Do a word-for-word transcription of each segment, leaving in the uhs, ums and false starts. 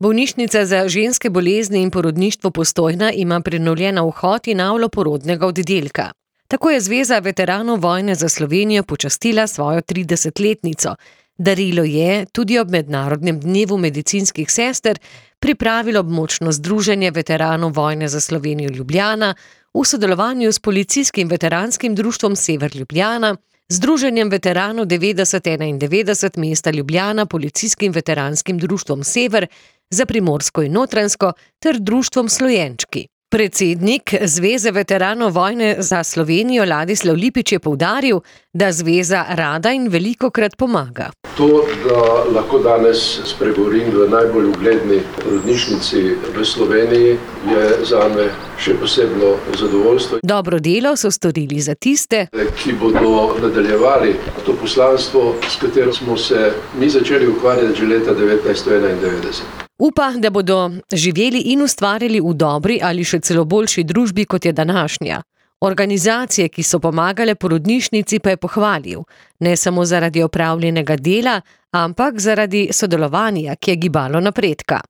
Bolnišnica za ženske bolezni in porodništvo Postojna ima prenovljen vhod in avlo porodnega oddelka. Tako je Zveza veteranov vojne za Slovenijo počastila svojo tridesetletnico. Darilo je tudi ob Mednarodnem dnevu medicinskih sester pripravilo območno združenje veteranov vojne za Slovenijo Ljubljana v sodelovanju s Policijskim veteranskim društvom Sever Ljubljana, Združenjem veteranov devetdeset enaindevetdeset mesta Ljubljana, Policijskim veteranskim društvom Sever za Primorsko in Notranjsko ter društvom Slojenčki. Predsednik Zveze veteranov vojne za Slovenijo Ladislav Lipič je poudaril, da zveza rada in velikokrat pomaga. To, da lahko danes spregovorim v najbolj ugledni porodnišnici v Sloveniji, je zame še posebno zadovoljstvo. Dobro delo so storili za tiste, ki bodo nadaljevali to poslanstvo, s katero smo se mi začeli ukvarjati že leta devetnajststo enaindevetdeset. Upa, da bodo živeli in ustvarjali v dobri ali še celo boljši družbi, kot je današnja. Organizacije, ki so pomagale porodnišnici, pa je pohvalil, ne samo zaradi opravljenega dela, ampak zaradi sodelovanja, ki je gibalo napredka.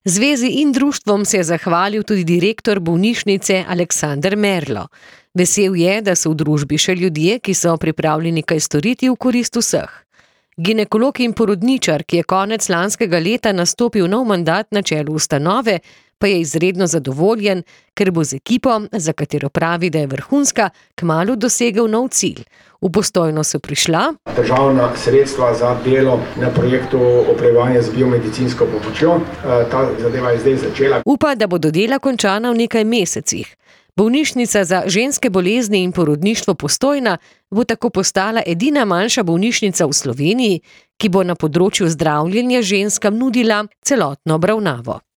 Zvezi in društvom se je zahvalil tudi direktor bolnišnice Aleksander Merlo. Vesel je, da so v družbi še ljudje, ki so pripravljeni kaj storiti v korist vseh. Ginekolog in porodničar, ki je konec lanskega leta nastopil nov mandat na čelu ustanove, pa je izredno zadovoljen, ker bo z ekipo, za katero pravi, da je vrhunska, kmalu dosegel nov cilj. V Postojno so prišla državna sredstva za delo na projektu opremljanja z biomedicinsko pomočjo. Ta zadeva je zdaj začela. Upa, da bodo dela končana v nekaj mesecih. Bolnišnica za ženske bolezni in porodništvo Postojna bo tako postala edina manjša bolnišnica v Sloveniji, ki bo na področju zdravljenja ženskam nudila celotno obravnavo.